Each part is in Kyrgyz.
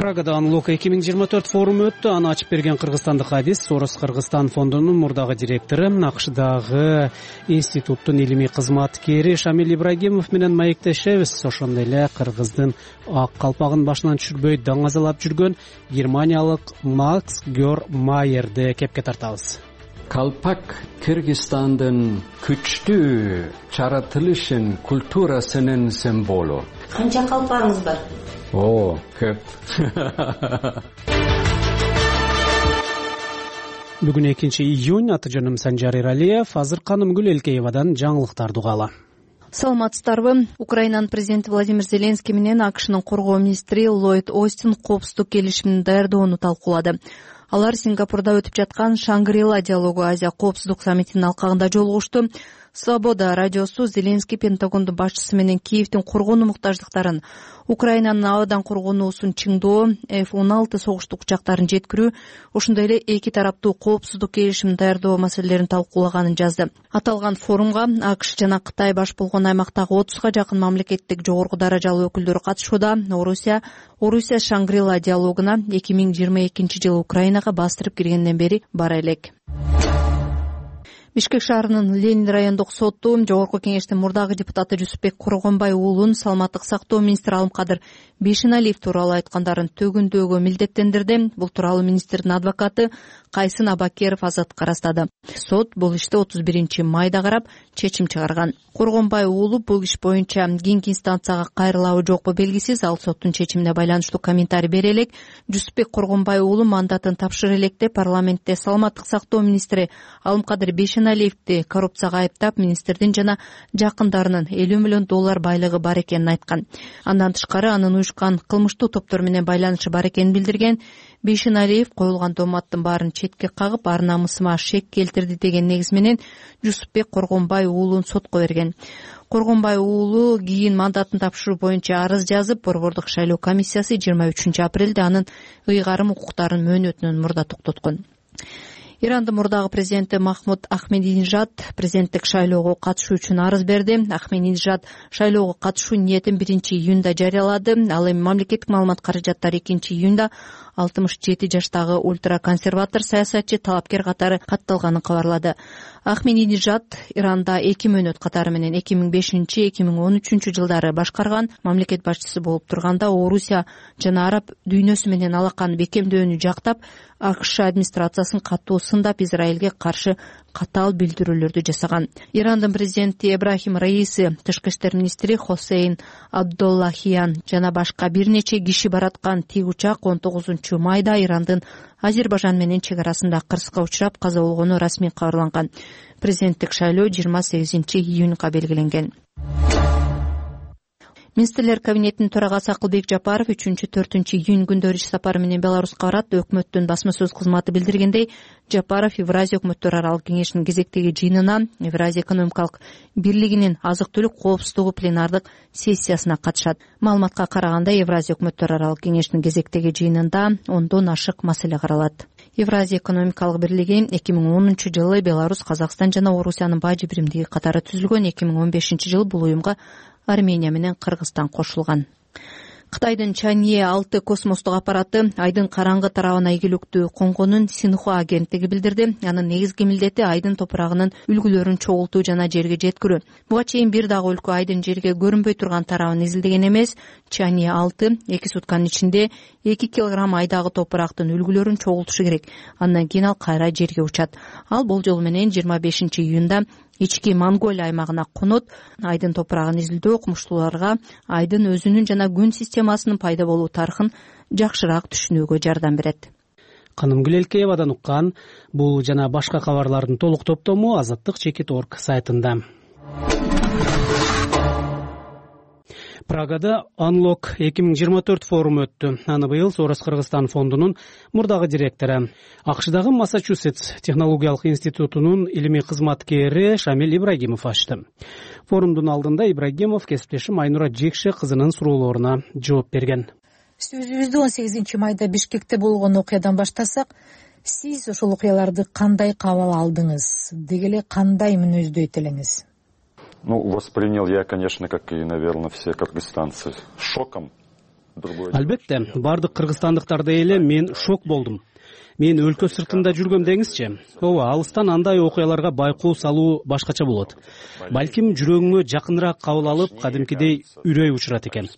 Прагада Unlock 2024 форуму өттү. Аны ачып берген кыргызстандык Адис Сорос Кыргызстан фондунун мурдагы директору, АКШдагы институттун илимий кызматкери Шамил Ибрагимов менен маектешебиз. Ошондой эле кыргыздын ак калпагын башынан түшүрбөй даңазалап жүргөн германиялык Макс Гер Майерди кепке тартабыз. Калпак Кыргызстандын күчтүү жаратылышын, культурасынын символу. Канча калпагыңыз бар? Көп. Бүгүн 2-июнь. Аты жөнүм Санжар Иралиев. Азыр Канымгүл Элкеевадан жаңылыктарды угалы. Саламатсыздарбы? Украинанын президенти Владимир Зеленский менен АКШнын коргоо министри Ллойд Остин коопсуздук келишимин даярдоону талкуулады. Алар Сингапурда өтүп жаткан Шангри-Ла диалогу Азия коопсуздук саммитинин алкагында жолугушту. Свобода радиосу Зеленский Пентагондун башчысы менен Киевдин коргонуу муктаждыктарын, Украинанын абадан коргонуусун чыңдоо, F-16 согуштук учактарын жеткирүү, ошондой эле эки тараптуу коопсуздук келишимин даярдоо маселелерин талкуулаганын жазды. Аталган форумга АКШ жана Кытай баш болгон аймактагы 30га жакын мамлекеттик жогорку даражалуу өкүлдөр катышууда. Орусия Шангри-Ла диалогуна 2022-жылы Украинага бастырып киргенден бери бара элек. Бишкек шаарынын Ленин райондук соту Жогорку кеңештин мурдагы депутаты Жусупбек Коргонбай уулун саламаттык сактоо министри Алымкадыр Бейшеналиев тууралуу айткандарын төгүндөөгө милдеттендирди. Бул тууралуу министрдин адвокаты Кайсын Абакеров Азаттыкка ырастады. Сот бул ишти 31-майда карап чечим чыгарган. Коргонбай уулу бул иш боюнча кийинки инстанцияга кайрылабы жокпу белгисиз. Ал соттун чечимине байланыштуу комментарий бере элек. Жусупбек Коргонбай уулу мандатын тапшыра электе парламентте саламаттык сактоо министри Алымкадыр Бейшеналиевди коррупцияга айыптап, министрдин жана жакындарынын $50 миллион байлыгы бар экенин айткан. Андан тышкары анын уюшкан кылмыштуу топтор менен байланышы бар экенин билдирген. Бейшеналиев коюлган томаттын баарын четке кагып, ар намысыма шек келтирди деген негиз менен Жусупбек Коргонбай уулун сотко берген. Коргонбай уулу кийин мандатын тапшыруу боюнча арыз жазып, Борбордук шайлоо комиссиясы 23-апрелде анын ыйгарым укуктарын мөөнөтүнөн мурда токтоткон. Ирандын мурдагы президенти Махмуд Ахмединежад президенттик шайлоого катышуу үчүн арыз берди. Ахмединежад шайлоого катышуу ниетин 1-июнда жарыялады. Ал эми мамлекеттик маалымат каражаттары 2-июнда 67 жаштагы ультраконсерватор саясатчы талапкер катары катталганын кабарлады. Ахмединежад Иранда 2 мөөнөт катары менен 2005-2013 жылдары башкарган. Мамлекет башчысы болуп турганда Орусия жана араб дүйнөсү менен алаканы бекемдөөнү жактап, АКШ администрациясын катуу сындап, Израилге каршы катаал билдирүүлөрдү жасаган. Ирандын президенти Эбрахим Раиси, тышкы иштер министри Хосейн Абдуллахиян жана башка бир нече киши бараткан тик учак 19-майда Ирандын Азербайжан менен чек арасында кырсыкка учурап каза болгону расмий кабарланган. Президенттик шайлоо 28-июнга белгиленген. Министрлер кабинетинин төрагасы Акылбек Жапаров 3-4-июнь күндөрү иш сапары менен Беларуска барат. Өкмөттүн басма сөз кызматы билдиргендей, Жапаров Евразия өкмөттөр аралык кеңешинин кезектеги жыйынына, Евразия экономикалык бирлигинин азык-түлүк коопсуздугу пленардык сессиясына катышат. Маалыматка караганда, Евразия өкмөттөр аралык кеңешинин кезектеги жыйынында 10дон ашык маселе каралат. Евразия экономикалык бирлиги 2010-жылы Беларусь, Казакстан жана Орусиянын бажы биримдиги катары түзүлгөн. 2015-жылы бул уюмга Армения менен Кыргызстан кошулган. Кытайдын Чанье 6 космостук аппараты Айдын караңгы тарабына ийгиликтүү конгонун Синхуа агенттиги билдирди. Анын негизги милдети Айдын топурагынын үлгүлөрүн чогултуу жана жерге жеткирүү. Буга чейин бир дагы өлкө Айдын жерге көрүнбөй турган тарабын изилдеген эмес. Чанье 6 2 сутканын ичинде 2 килограмм айдагы топурактын үлгүлөрүн чогултушу керек. Андан кийин ал кайра жерге учат. Ал болжол менен 25-июнда ички Монголия аймагына конот. Айдын топурагын изилдөө окумуштууларга Айдын өзүнүн жана күн системасынын пайда болуу тарыхын жакшыраак түшүнүүгө жардам берет. Канымгүл Элкеевадан уккан бул жана башка кабарлардын толук топтому Азаттык.org сайтында. Прагада Unlock 2024 форуму өттү. Аны быйыл Сорос Кыргызстан фондунун мурдагы директору, АКШдагы Массачусетс технологиялык институтунун илимий кызматкери Шамил Ибрагимов ачты. Форумдун алдында Ибрагимов кесиптешим Айнура Жекше кызынын суроолоруна жооп берген. Сөзүбүздү 18-майда Бишкекте болгон окуядан баштасак, сиз ошол окуяларды кандай кабыл алдыңыз? Деги эле кандай мүнөздөйт элеңиз? Воспринял я, конечно, как и, наверное, все кыргызстанцы, шоком. Албетте, бардык кыргызстандыктардай эле мен шок болдум. Мен өлкө сыртында жүргөм деңизчи. Ооба, алыстан андай окуяларга байкоо салуу башкача болот. Балким жүрөгүңө жакыныраак кабыл алып, кадимкидей үрөй учурат экен.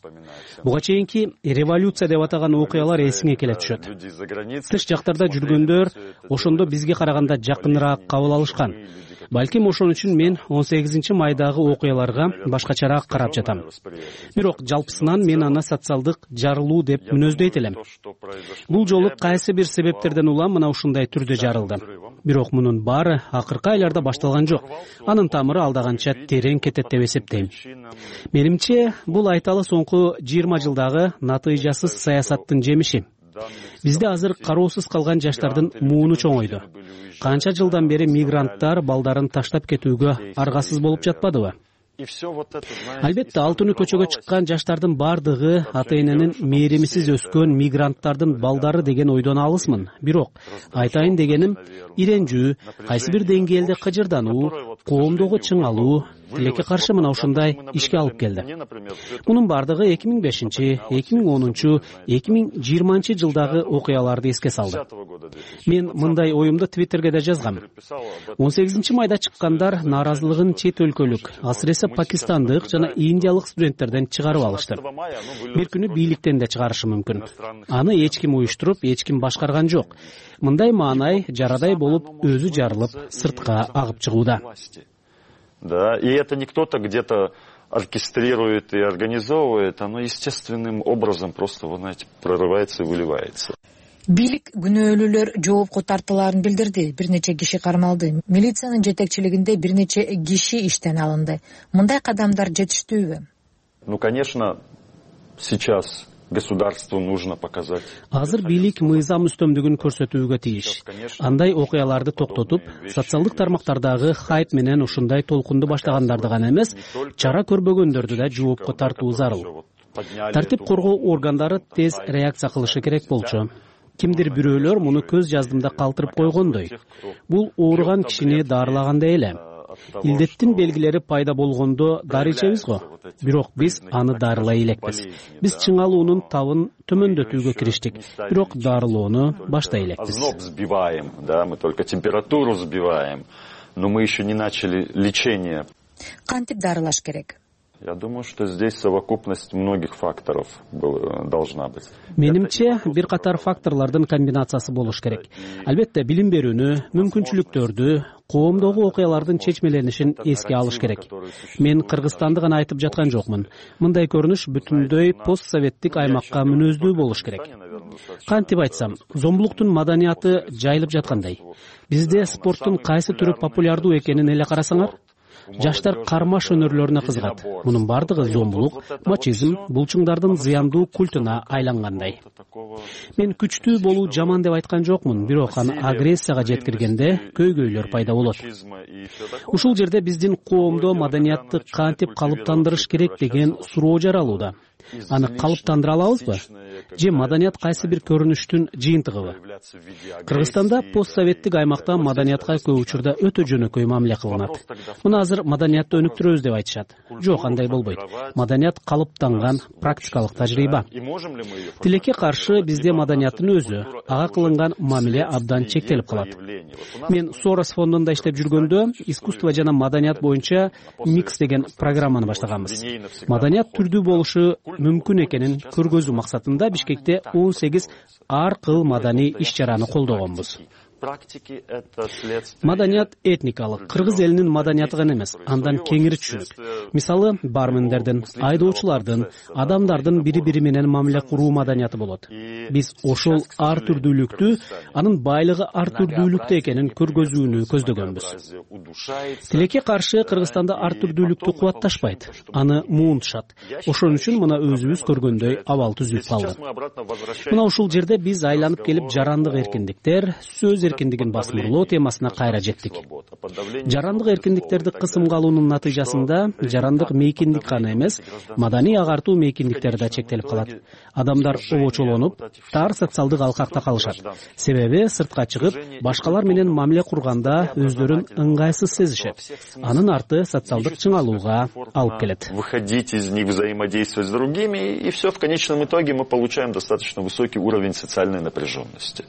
Буга чейинки революция деп атаган окуялар эсиңе келе түшөт. Тыш жактарда жүргөндөр ошондо бизге караганда жакыныраак кабыл алышкан. Балким ошон үчүн мен 18 майдагы окуяларга башкачараак карап жатам. Бирок жалпысынан мен аны социалдык жарылуу деп мүнөздөйт элем. Бул жолу кайсы бир себептерден улам мына ушундай түрдө жарылды. Бирок мунун баары акыркы айларда башталган жок. Анын тамыры алда канча терең кетет деп эсептейм. Менимче, бул айталы соңку 20 жылдагы натыйжасыз саясаттын жемиши. Бизде азыр кароосуз калган жаштардын мууну чоңойду. Канча жылдан бери мигранттар балдарын таштап кетүүгө аргасыз болуп жатпадыбы? Албетте, ал түнү көчөгө чыккан жаштардын бардыгы ата-эненин мээримсиз өскөн мигранттардын балдары деген ойдон алысмын. Бирок айтайын дегеним, иренжүү, кайсы бир деңгээлде кыжырдануу, коомдогу чыңалуу тилекке каршы мына ушундай ишке алып келди. Мунун бардыгы 2005, 2010, 2020 жылдагы окуяларды эске салды. Мен мындай оюмду Твиттерге да жазгам. 18 майда чыккандар нааразылыгын чет өлкөлүк, асыресе пакистандык жана индиялык студенттерден чыгарып алышты. Бир күнү бийликтен да чыгарышы мүмкүн. Аны эч ким уюштуруп, эч ким башкарган жок. Мындай маанай жарадай болуп өзү жарылып, сыртка агып чыгууда. Да, и это не кто-то где-то оркестрирует и организовывает, оно естественным образом просто, вы знаете, прорывается и выливается. Бийлик күнөөлүүлөр жоопко тартылаарын билдирди. Бир нече киши кармалды. Милициянын жетекчилигинде бир нече киши иштен алынды. Мындай кадамдар жетиштүүбү? Ну, конечно, сейчас государству нужно показать. Азыр бийлик мыйзам үстөмдүгүн көрсөтүүгө тийиш. Андай окуяларды токтотуп, социалдык тармактардагы хайп менен ушундай толкунду баштагандарды гана эмес, чара көрбөгөндөрдү да жоопко тартуу зарыл. Тартип коргоо органдары тез реакция кылышы керек болчу. Кимдир бирөөлөр муну көз жаздымда калтырып койгондой. Бул ооруган кишини дарылагандай эле. Илдеттин белгилери пайда болгондо дары ичебиз го. Бирок биз аны дарылай элекпиз. Биз чыңалуунун табын төмөндөтүүгө кириштик. Бирок дарылоону баштай элекпиз. Озноб сбиваем, да, мы только температуру сбиваем, но мы еще не начали лечение. Кантип дарылаш керек? Я думаю, что здесь совокупность многих факторов должна быть. Менимче, бир катар факторлордун комбинациясы болуш керек. Албетте, билим берүүнү, мүмкүнчүлүктөрдү, коомдогу окуялардын чечмеленишин эске алыш керек. Мен Кыргызстанды гана айтып жаткан жокмун. Мындай көрүнүш бүтүндөй постсоветтик аймакка мүнөздүү болуш керек. Кантип айтсам, зомбулуктун маданияты жайылып жаткандай. Бизде спорттун кайсы түрү популярдуу экенин эле карасаңар, жаштар кармаш өнөрлөрүнө кызыгат. Мунун бардыгы зомбулук, мачизм, булчуңдардын зыяндуу культуна айлангандай. Мен күчтүү болуу жаман деп айткан жокмун, бирок аны агрессияга жеткиргенде көйгөйлөр пайда болот. Ушул жерде биздин коомдо маданиятты кантип калыптандырыш керек деген суроо жаралууда. Аны калыптандыра алабызбы? Же маданият кайсы бир көрүнүштүн жыйынтыгыбы? Кыргызстанда постсоветтик аймакта маданиятка көп учурда өтө жөнөкөй мамиле кылынат. Мына азыр маданиятты өнүктүрөбүз деп айтышат. Жок, андай болбойт. Маданият калыптанган практикалык тажрыйба. Тилекке каршы бизде маданияттын өзү, ага кылынган мамиле абдан чектелип калат. Мен Сорос фондунда иштеп жүргөндө искусство жана маданият боюнча микс деген программаны баштаганбыз. Маданият түрдүү болушу мүмкүн экенин көргөзүү максатында Бишкекте 18 ар кыл маданий иш-чараны колдогонбуз. Маданият этникалык, кыргыз элинин маданияты гана эмес, андан кеңири түшүнүк. Мисалы, бармендердин, айдоочулардын, адамдардын бири-бири менен мамиле куруу маданияты болот. Биз ошол ар түрдүүлүктү, анын байлыгы ар түрдүүлүктө экенин көргөзүүнү көздөгөнбүз. Тилекке каршы Кыргызстанда ар түрдүүлүктү кубатташпайт, аны муунтушат. Ошон үчүн мына өзүбүз көргөндөй абал түзүлүп калды. Мына ушул жерде биз айланып келип жарандык эркиндиктер, сөз эркиндигин басмырлоо темасына кайра жеттик. Жарандык эркиндиктерди кысымга алуунун натыйжасында жарандык мейкиндик гана эмес, маданий агартуу мейкиндиктери да чектелип калат. Адамдар обочолонуп, тар социалдык алкакта калышат. Себеби сыртка чыгып, башкалар менен мамиле курганда өздөрүн ыңгайсыз сезишет. Анын арты социалдык чыңалууга алып келет. Выходить из них, взаимодействовать с другими, и все в конечном итоге мы получаем достаточно высокий уровень социальной напряженности.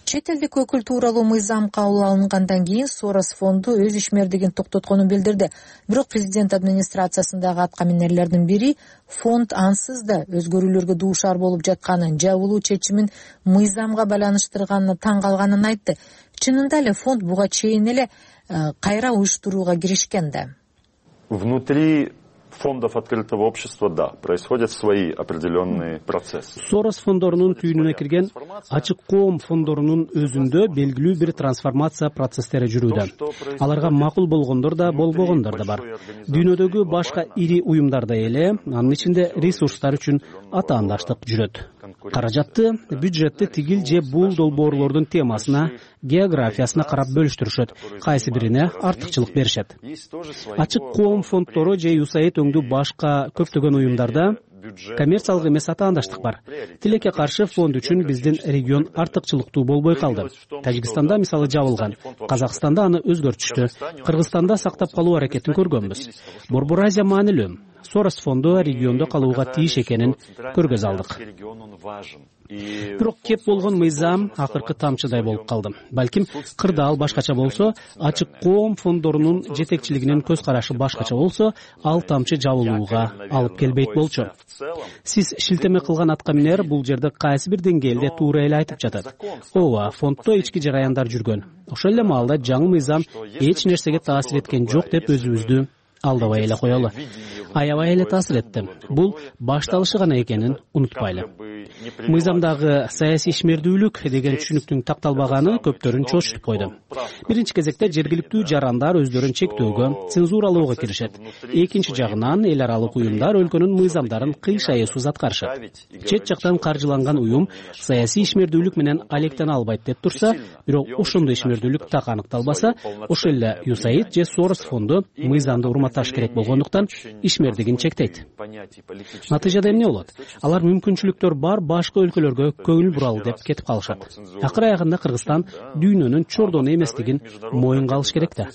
Чет элдик өкүл тууралуу мыйзам кабыл алынгандан кийин Сорос фонду өз ишмердигин токтотконун билдирди. Бирок президент администрациясындагы аткаминерлердин бири фонд ансыз да өзгөрүүлөргө дуушар болуп жатканын, жабылуу чечимин мыйзамга байланыштырганына таң калганын айтты. Чынында эле фонд буга чейин эле кайра уюштурууга киришкен да. Внутри фондов открытого общества, да, происходят свои определенные процессы. Сорос фондорунун түйүнүнө кирген ачык коом фондорунун өзүндө белгилүү бир трансформация процесстери жүрүүдө. Аларга макул болгондор да, болбогондор да бар. Дүйнөдөгү башка ири уюмдарда эле анын ичинде ресурстар үчүн атаандаштык жүрөт. Каражатты, бюджетти тигил же бул долбоорлордун темасына, географиясына карап бөлүштүрүшөт. Кайсы бирине артыкчылык беришет. Ачык коом фонддору же USAID өңдүү башка көптөгөн уюмдарда коммерциялык эмес атаандаштык бар. Тилекке каршы фонд үчүн биздин регион артыкчылыктуу болбой калды. Тажикстанда мисалы жабылган, Казакстанда аны өзгөртүштү, Кыргызстанда сактап калуу аракетин көргөнбүз. Борбор Азия маанилүү. Сорос фонду региондо калууга тийиш экенин көргөз алдык. Бирок кеп болгон мыйзам акыркы тамчыдай болуп калды. Балким кырдаал башкача болсо, ачык коом фондорунун жетекчилигинин көз карашы башкача болсо, ал тамчы жабылууга алып келбейт болчу. Сиз шилтеме кылган аткаминер бул жерде кайсы бир деңгээлде туура эле айтып жатат. Ооба, фонддо ички жараяндар жүргөн. Ошол эле маалда жаңы мыйзам эч нерсеге таасир эткен жок деп өзүбүздү алдабай эле коелу. Аябай эле таасир этти. Бул башталышы гана экенин унутпайлы. Мыйзамдагы саясий ишмердүүлүк деген түшүнүктүн такталбаганы көптөрүн чочутуп койду. Биринчи кезекте жергиликтүү жарандар өздөрүн чектөөгө, цензуралоого киришет. Экинчи жагынан эл аралык уюмдар өлкөнүн мыйзамдарын кыйшайысыз аткарышат. Чет жактан каржыланган уюм саясий ишмердүүлүк менен алектене албайт деп турса, бирок ошондой ишмердүүлүк так аныкталбаса, ошол эле USAID же Сорос фонду мыйзамды урматташ керек болгондуктан ишмердигин чектейт. Натыйжада эмне болот? Алар мүмкүнчүлүктөр бар башка өлкөлөргө көңүл буралы деп кетип калышат. Акыр аягында Кыргызстан дүйнөнүн чордону эместигин моюнга алыш керек да.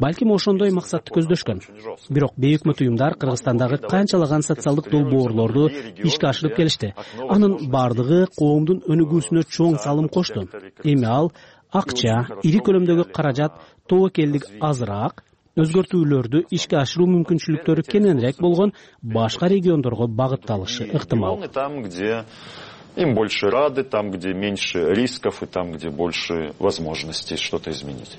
Балким ошондой максатты көздөшкөн. Бирок бейөкмөт уюмдар Кыргызстандагы канчалаган социалдык долбоорлорду ишке ашырып келишти. Анын бардыгы коомдун өнүгүүсүнө чоң салым кошту. Эми ал акча, ири көлөмдөгү каражат, тобокелдик азыраак, өзгөртүүлөрдү ишке ашыруу мүмкүнчүлүктөрү кененирээк болгон башка региондорго багытталышы ыктымал. Там, где им больше рады, там, где меньше рисков и там, где больше возможностей что-то изменить.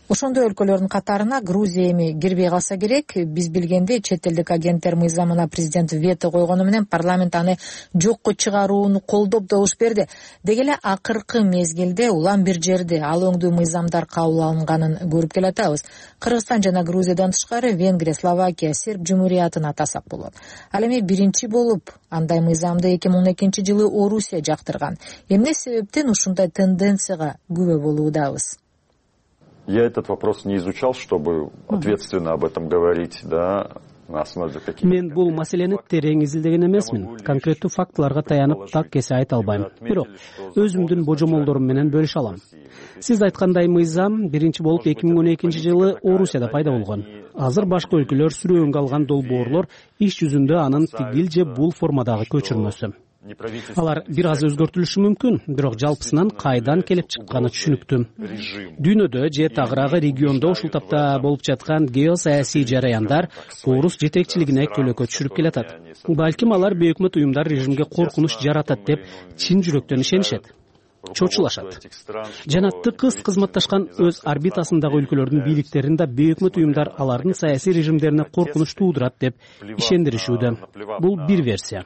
Ошондой өлкөлөрдүн катарына Грузия эми кирбей калса керек. Биз билгендей, чет элдик агенттер мыйзамына президент вето койгону менен парламент аны жокко чыгарууну колдоп добуш берди. Деги эле акыркы мезгилде улам бир жерде ал өңдүү мыйзамдар кабыл алынганын көрүп келатабыз. Кыргызстан жана Грузиядан тышкары Венгрия, Словакия, Серб жумуриятын атасак болот. Ал эми биринчи болуп андай мыйзамды 2012-жылы Орусия жактырган. Эмне себептен ушундай тенденцияга күбө болуудабыз? Я этот вопрос не изучал, чтобы ответственно об этом говорить, да, на основе каких-то... Мен бул маселени терең изилдеген эмесмин. Конкреттүү фактыларга таянып так кесе айта албайм. Бирок өзүмдүн божомолдорум менен бөлүшө алам. Сиз айткандай мыйзам биринчи болуп 2012-жылы Орусияда пайда болгон. Азыр башка өлкөлөр сүрөөнгө алган долбоорлор иш жүзүндө анын тигил же бул формадагы көчүрмөсү. Алар бир аз өзгөртүлүшү мүмкүн, бирок жалпысынан кайдан келип чыкканы түшүнүктүү. Дүйнөдө же тагыраагы региондо ушул тапта болуп жаткан геосаясий жараяндар орус жетекчилигине көлөкө түшүрүп келатат. Балким алар бейөкмөт уюмдар режимге коркунуч жаратат деп чын жүрөктөн ишенишет. Чочулашат. Жана тыкыз кызматташкан өз орбитасындагы өлкөлөрдүн бийликтерин да бейөкмөт уюмдар алардын саясий режимдерине коркунуч туудурат деп ишендиришүүдө. Бул бир версия.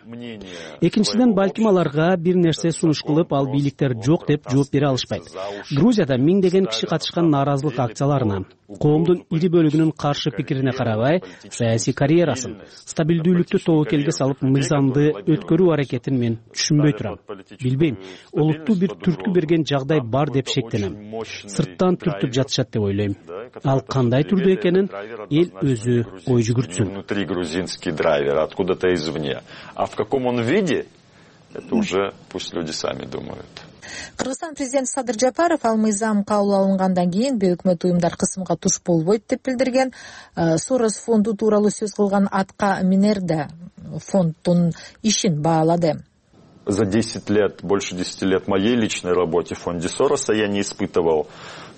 Экинчиден, балким аларга бир нерсе сунуш кылып, ал бийликтер жок деп жооп бере алышпайт. Грузияда миңдеген киши катышкан нааразылык акцияларына, коомдун ири бөлүгүнүн каршы пикирине карабай, саясий карьерасын, стабилдүүлүктү тобокелге салып мыйзамды өткөрүү аракетин мен түшүнбөй турам. Билбейм, олуттуу бир түрткү берген жагдай бар деп шектенем. Сырттан түртүп жатышат деп ойлойм. Ал кандай түрдүү экенин эл өзү ой жүгүртсүн. Внутри грузинский драйвер, откуда-то извне. А в каком он виде, это уже пусть люди сами думают. Кыргызстан президенти Садыр Жапаров ал мыйзам кабыл алынгандан кийин бейөкмөт уюмдар кысымга туш болбойт деп билдирген. Сорос фонду тууралуу сөз кылган Атка Минер да фонддун ишин баалады. За 10 лет, больше 10 лет моей личной работе в фонде Сороса я не испытывал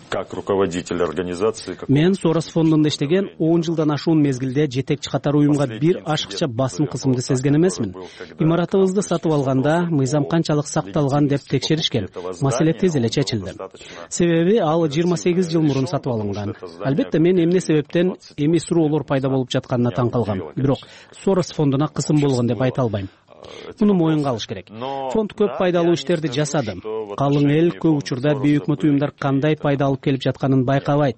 как руководитель организации. Мен Сорос фондунда иштеген 10 жылдан ашуун мезгилде жетекчи катар уюмга бир ашыкча басым кысымды сезген эмесмин. Имаратыбызды сатып алганда мыйзам канчалык сакталган деп текшеришкен. Маселе тез эле чечилди. Себеби ал 28 жыл мурун сатып алынган. Албетте мен эмне себептен эми суроолор пайда болуп жатканына таң калгам. Бирок Сорос фондуна кысым болгон деп айта албайм. Муну моюнга алыш керек. Фонд көп пайдалуу иштерди жасады. Калың эл көп учурда бейөкмөт уюмдар кандай пайда алып келип жатканын байкабайт.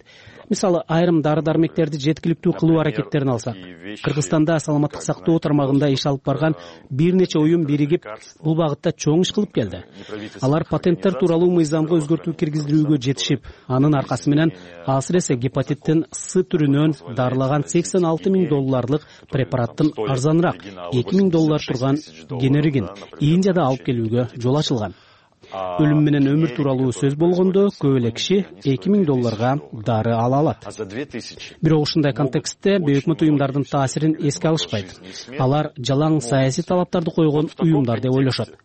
Мисалы, айрым дары-дармектерди жеткиликтүү кылуу аракеттерин алсак, Кыргызстанда саламаттык сактоо тармагында иш алып барган бир нече уюм биригип, бул багытта чоң иш кылып келди. Алар патенттер тууралуу мыйзамга өзгөртүү киргиздирүүгө жетишип, анын аркасы менен асыресе гепатиттин С түрүнөн дарылаган $86,000 препараттын арзаныраак $2,000 турган генеригин Индияда алып келүүгө жол ачылган. Өлүм менен өмүр тууралуу сөз болгондо көп эле киши $2,000 дары ала алат. Бирок ушундай контекстте бейөкмөт уюмдардын таасирин эске алышпайт. Алар жалаң саясий талаптарды койгон уюмдар деп ойлошот.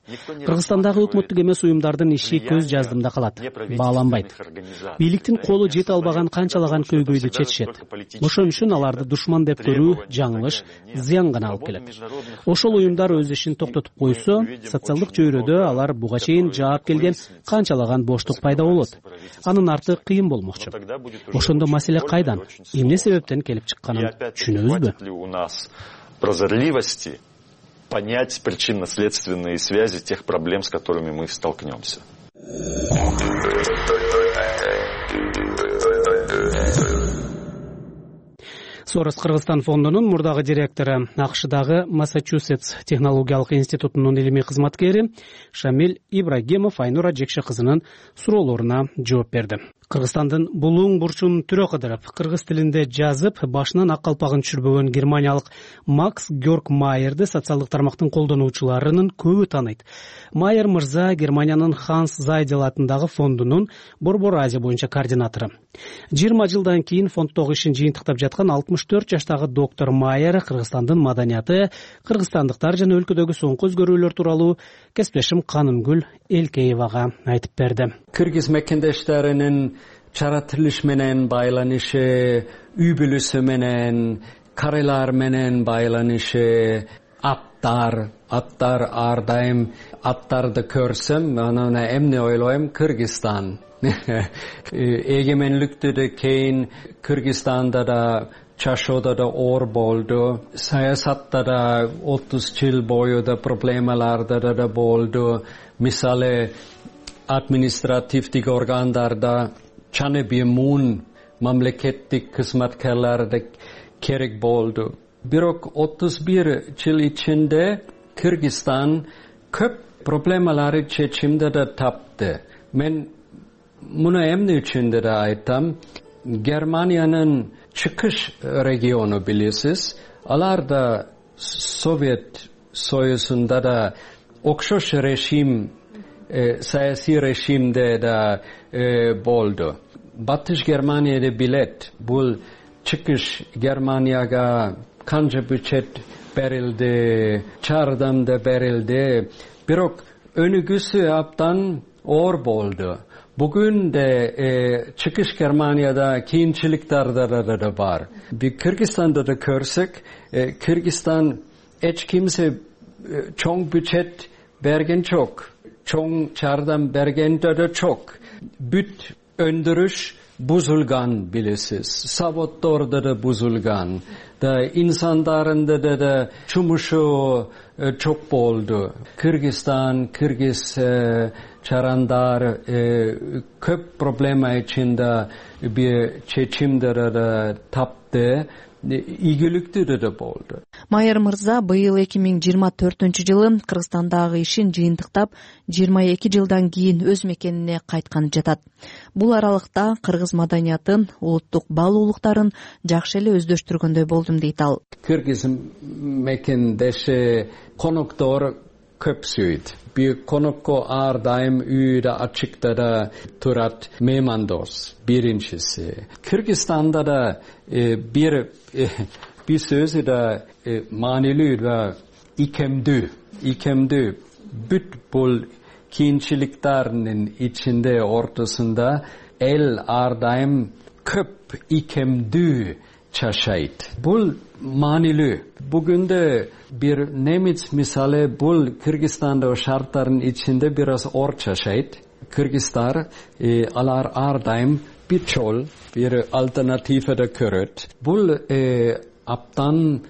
Кыргызстандагы өкмөттүк эмес уюмдардын иши көз жаздымда калат, бааланбайт. Бийликтин колу жете албаган канчалаган көйгөйдү чечишет. Ошон үчүн аларды душман деп көрүү жаңылыш, зыян гана алып келет. Ошол уюмдар өз ишин токтотуп койсо, социалдык чөйрөдө алар буга чейин келген канчалаган боштук пайда болот. Анын арты кыйын болмокчу. Ошондо маселе кайдан? Эмне себептен келип чыкканын түшүнөбүзбү? У нас прозорливости понять причинно-следственные связи тех проблем, с которыми мы столкнемся. Сорос Кыргызстан фондунун мурдагы директору, АКШдагы Массачусетс технологиялык институтунун илимий кызматкери Шамиль Ибрагимов Айнура Жекше кызынын суроолоруна жооп берди. Кыргызстандын булуң бурчун түрө кыдырып, кыргыз тилинде жазып, башынан ак калпагын түшүрбөгөн германиялык Макс Георг Майерди социалдык тармактын колдонуучуларынын көбү тааныйт. Майер мырза Германиянын Ханс Зайдел атындагы фондунун Борбор Азия боюнча координатору. 20 жылдан кийин фонддогу ишин жыйынтыктап жаткан 64 жаштагы доктор Майер Кыргызстандын маданияты, кыргызстандыктар жана өлкөдөгү соңку өзгөрүүлөр тууралуу кесиптешим Канынгүл Элкеевага айтып берди. Кыргыз мекендештеринин чаратылыш менен байланышы, үй бүлөсү менен, карайлар менен байланышы, аттар ар дайым аттарды көрсөм, анан эмне ойлойм? Кыргызстан. Эгемендиктен кийин Кыргызстанда да чашоодо да оор болду, саясатта да 30 жыл бою да проблемаларда да болду. Мисалы административдик органдарда чаны бемун мамлекеттик кызматкерлерди керек болду. Бирок 31 жыл ичинде Кыргызстан көп проблемалары чечимди да тапты. Мен муну эмне үчүн да айтам? Германиянын чыкыш региону билесиз, алар да Совет Союзунда да окшош режим, саясий режимде да болду. Батыш Германияда билет, бул чыкыш Германияга канча бюджет берилди, жардам да берилди. Бирок өнүгүүсү абдан оор болду. Бүгүн де чыкыш Германияда кийинчиликтер да бар. Кыргызстанда да көрсөк, Кыргызстан эч кимсе чоң бюджет берген жок, чоң жардам берген да жок. Бүт өндүрүш бузулган билесиз, заводдордо да бузулган, да инсандарында да жумушу жок болду. Кыргызстан, кыргыз чарандар көп проблема ичинде бир чечимдер да тапты. ийгиликтүү да болду. Майыр мырза быйыл 2024-жылы Кыргызстандагы ишин жыйынтыктап 22 жылдан кийин өз мекенине кайтканы жатат. Бул аралыкта кыргыз маданиятын, улуттук баалуулуктарын жакшы эле өздөштүргөндөй болдум дейт ал. Кыргыз мекендеши коноктор көп сүйт. Bir konukko ар дайым үйдө ачыкта да турат меймандос. Биринчиси. Кыргызстанда да bir sözü de manilүү ve ikemdүү бүт бул кийинчиликтердин ичинде ортосунда эл ар дайым көп икемдүү чашайт. Бул manilүү. Бүгүндө bir немец мисалы бул Кыргызстандагы шарттардын ичинде biraz ор чашайт. Кыргыздар алар ар дайым bir çol, bir alternatife de köröt. Bul aptan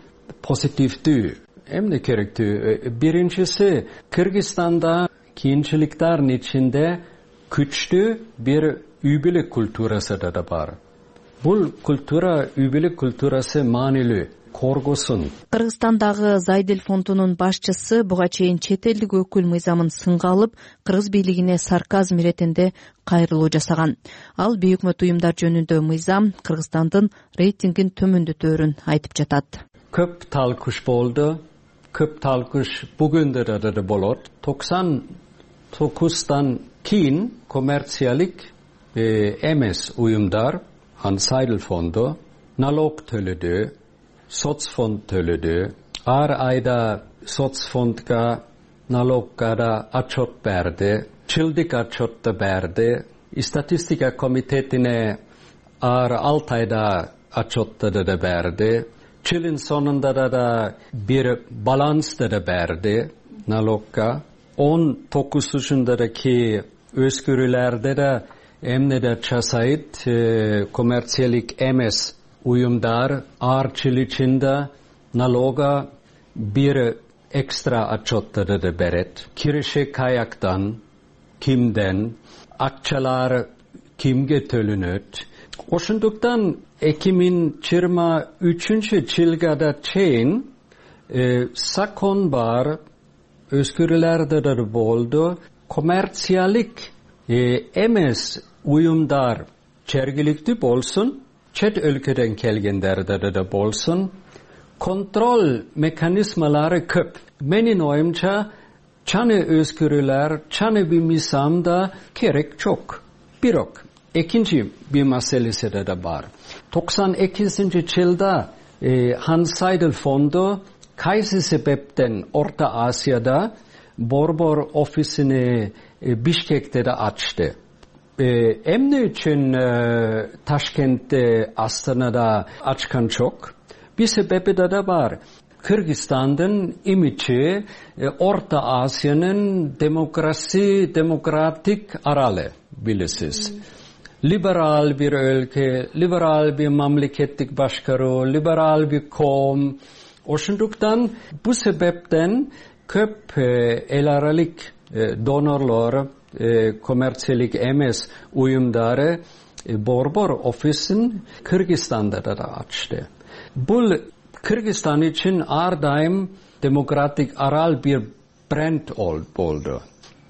pozitifdүү. Emne kerektүү? Birincisi, Kırgızstanda kiyinçiliklerin içinde güçlü bir übülük kulturası da var. Bul kultura, übülük kulturası manilүү. Коргосун. Кыргызстандагы Зайдел фондунун башчысы буга чейин чет элдик өкүл мыйзамын сынга алып, кыргыз бийлигине сарказм иретинде кайрылуу жасаган. Ал бейөкмөт уюмдар жөнүндө мыйзам Кыргызстандын рейтингин төмөндөтөөрүн айтып жатат. Көп талкуш болду. Көп талкуш бүгүндө да болот. 99'dan кийин коммерциялык эмес уюмдар, Зайдел фонду налог төлөдү. Соцфонд төлөдү. Ар айда соцфондга, налогга да отчет берди. Жылдык отчет да берди. Статистика комитетине ар 6 айда отчет да берди. Жылдын сонунда да bir баланс да берди налогга. 19-ки өзгөрүүлөрдө да эмне да часайт, коммерциялык эмес уюмдар ар жыл ичинде налога bir экстра отчеттарды да берет. Киреше каяктан, кимден, акчалар кимге төлөнөт. Ошондуктан 2023-жылга да чейин закон бар, өзгөрүүлөр да болду. Коммерциялык эмес уюмдар жергиликтүү болсун, чет өлкөдөн келгендерде да болсун, kontrol mekanizmalары көп. Менин оюмча, чаны өзгөрүүлөр, чаны bir мыйзамда керек жок. Бирок, экинчи bir маселеси да бар. 92-жылда Зайдел фонду кайсы себептен Орта Азияда борбор офисини Бишкекте да ачты. Эмне үчүн Ташкентте, Астанада ачкан жок? Bir себеби да бар. Кыргызстандын имиджи Орта Азиянын демократик аралы, билесиз. Либерал bir өлкө, либерал bir мамлекеттик башкаруу, либерал bir коом. Ошондуктан бу себептен көп эл аралык донорлор, коммерциялык эмес уюмдары борбор офисин Кыргызстанда да ачты. Бул Кыргызстан үчүн ар дайым демократик арал bir бренд болду.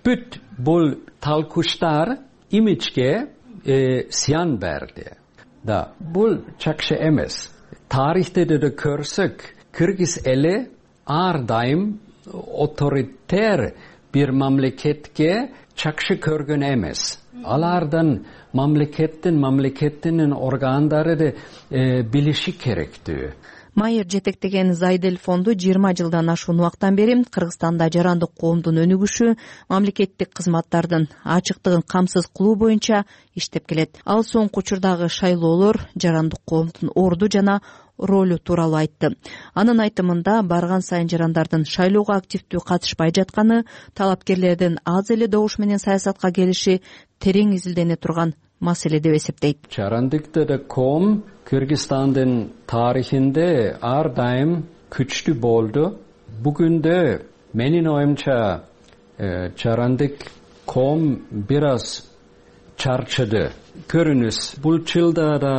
Бүт бул талкуштар имиджге зыян берди. Да, бул жакшы эмес. Тарихте да көрсөк, Кыргыз эли ар дайым авторитер bir мамлекетке жакшы көргөн эмес. Алардан мамлекеттин органдары билиши керектүү. Майыр жетектеген Зайдел фонду 20 жылдан ашуун убактан бери Кыргызстанда жарандык коомдун өнүгүшү, мамлекеттик кызматтардын ачыктыгын камсыз кылуу боюнча иштеп келет. Ал соңку учурдагы шайлоолор жарандык коомдун орду жана ролу тууралуу айтты. Анын айтымында барган сайын жарандардын шайлоого активдүү катышпай жатканы, талапкерлердин аз эле добуш менен саясатка келиши терең изилдене турган маселе деп эсептейт. Жарандыкта коом Кыргызстандын тарихинде ар дайым күчтүү болду. Бүгүндө менин оюмча жарандык коом бир аз чарчыды. көрүнүш. Бул жылда да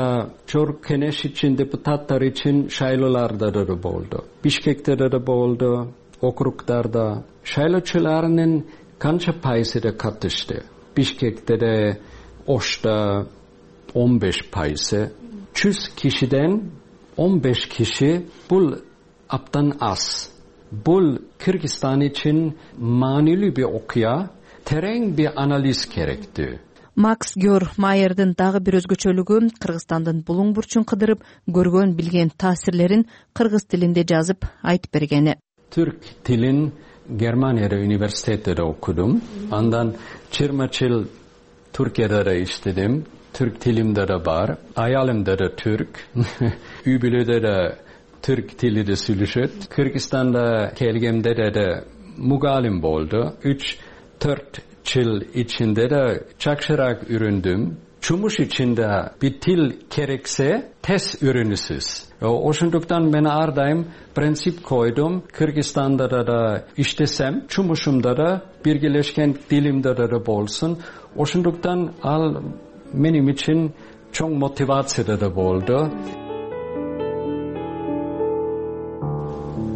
Жогорку Кеңеш үчүн, депутаттар үчүн шайлооларда да болду. Бишкекте да болду, округдарда. Шайлоочулардын канча пайызы да катышты. Бишкекте да, Ошта 15%. 100 кишиден 15 киши бул абдан аз. Бул Кыргызстан үчүн маанилүү бир окуя, терең бир анализ керектүү. Макс Гёр Майердин дагы бир өзгөчөлүгү Кыргызстандын булуң бурчун кыдырып көргөн билген таасирлерин кыргыз тилинде жазып айтып бергени. Түрк тилин Германияда университетте окудум. Андан 20 жыл Түркияда да иштедим. Түрк тилимде да бар. Аялымда да түрк. Үй бүлөдө да түрк тилиде сүйлөшөт. Кыргызстанда келгенде да мугалим болду. 3-4 жыл ичинде да жакшыраак үйрөндүм. Жумуш ичинде бир тил керексе, тез үйрөнүсүз. Ошондуктан мен ар дайым принцип койдум. Кыргызстанда да иштесем, жумушумда да биргелешкен тилимде да болсун. Ошондуктан ал менин үчүн чоң мотивация да болду.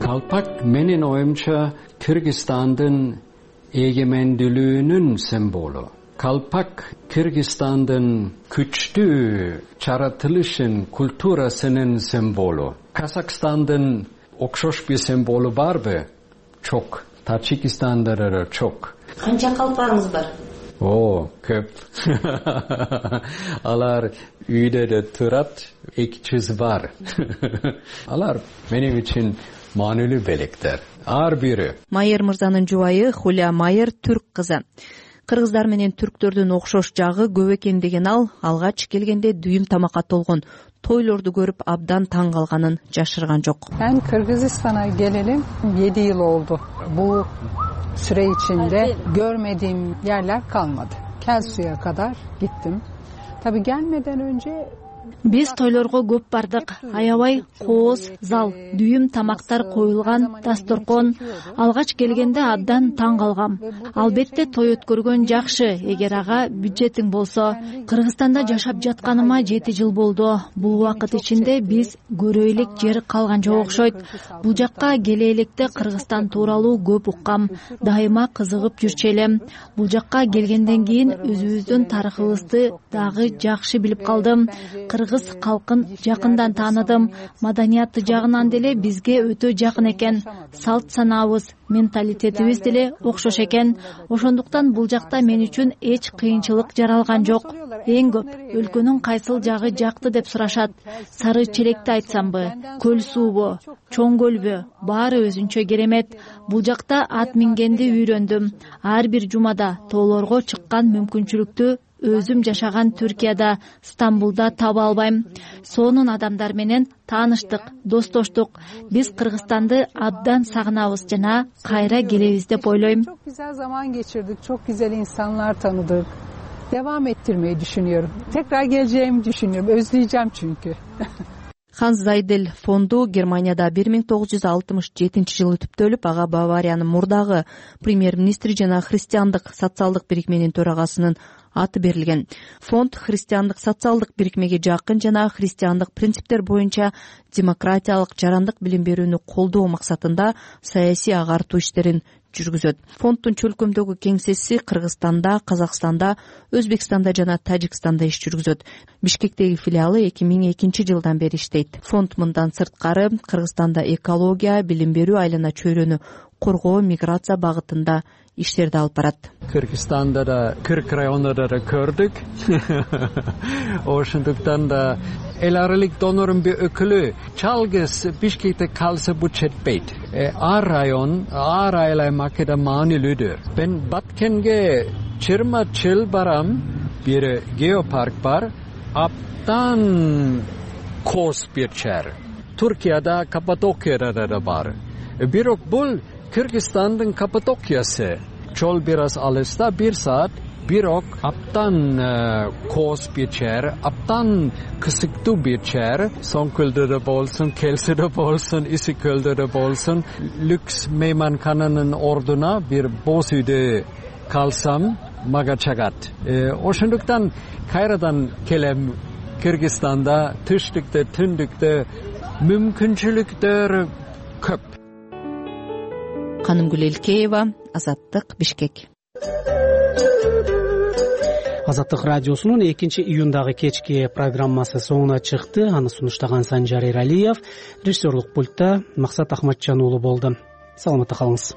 Калпак менин оюмча Кыргызстандын эгемендүүлүгүнүн символу. Калпак Кыргызстандын күчтүү жаратылышын, культурасынын символу. Казакстандын окшош бир символу барбы? Чок. Таджикистанда да чок. Канча калпагыңыз бар? Көп. Алар үйдө да турат, 200 бар. Алар менин үчүн маанилүү белектер. Ар бири. Майер мырзанын жубайы Хуля Майер түрк кызы. Кыргыздар менен түрктөрдүн окшош жагы көп экен деген ал алгач келгенде дүйүм тамакка толгон тойлорду көрүп абдан таң калганын жашырган жок. Ben Kırgızistan'a gelelim 7 yıl oldu. Bu süre içinde görmediğim yerler kalmadı. Kelsu'ya kadar gittim. Tabii gelmeden önce Биз тойлорго көп бардык. Аябай кооз, зал, дүйүм тамактар коюлган, дасторкон. Алгач келгенде абдан таң калгам. Албетте той өткөргөн жакшы, эгер ага бюджетиң болсо. Кыргызстанда жашап жатканыма 7 жыл болду. Бул убакыт ичинде биз көрө элек жер калган жок окшойт. Бул жакка келе электе Кыргызстан тууралуу көп уккам. Дайыма кызыгып жүрчү элем. Бул жакка келгенден кийин өзүбүздүн тарыхыбызды дагы жакшы билип калдым. Кыргыз калкын жакындан тааныдым. Маданияты жагынан деле бизге өтө жакын экен. Салт санаабыз, менталитетибиз деле окшош экен. Ошондуктан бул жакта мен үчүн эч кыйынчылык жаралган жок. Эң көп өлкөнүн кайсыл жагы жакты деп сурашат. Сары челекти айтсамбы, көл суубу, чоң көлбү, баары өзүнчө керемет. Бул жакта ат мингенди үйрөндүм. Ар бир жумада тоолорго чыккан мүмкүнчүлүктү өзүм жашаган Түркияда, Стамбулда таба албайм. Сонун адамдар менен тааныштык, достоштук. Биз Кыргызстанды абдан сагынабыз жана кайра келебиз деп ойлойм. Çok güzel zaman geçirdik, çok güzel insanlar tanıdık. Devam ettirmeyi düşünüyorum. Tekrar geleceğimi düşünüyorum. Özleyeceğim çünkü. Ханс Зайдель фонду Германияда 1967 жылы түптөлүп, ага Бавариянын мурдагы премьер-министри жана христиандык социалдык бирикменин төрагасынын аты берилген. Фонд христиандык социалдык бирикмеге жакын жана христиандык принциптер боюнча демократиялык жарандык билим берүүнү колдоо максатында саясий агартуу иштерин жүргүзөт. Фонддун чөлкөмдөгү кеңсеси Кыргызстанда, Казакстанда, Өзбекстанда жана Тажикстанда иш жүргүзөт. Бишкектеги филиалы 2002 жылдан бери иштейт. Фонд мындан сырткары Кыргызстанда экология, билим берүү, айлана чөйрөнү коргоо, миграция багытында иштерди алып барат. Кыргызстанда да 40 районда да көрдүк. Ошондуктан да эл аралык донордун бир өкүлү жалгыз Бишкекте калса бул жетпейт. Ар район, ар айлаймакта маанилүүдүр. Мен Баткенге 20 жыл барам, бир геопарк бар, абдан кооз бир жер. Түркияда, Каппадокияда да бар. Бирок бул Кыргызстандын Каппадокиясы. Жол biraz алыста, 1 saat. Бирок абдан кооз бир жер, абдан кысыктуу бир жер. Соңкөлдө да болсун, Келсиде болсун, Исикөлдө да болсун. Люкс мейманкананын ордуна бир боз үйдө калсам, мага чыгат. Ошондуктан кайрадан келем. Кыргызстанда түштүктө, түндүктө мүмкүнчүлүктөр көп. Канымгүл Элкеева, Азаттык, Бишкек. Азаттык радиосунун 2-июндагы кечки программасы соңуна чыкты. Аны сунуштаган Санжар Эралиев, режиссерлук пультта Максат Ахматжан уулу болду. Саламатта калыңыз.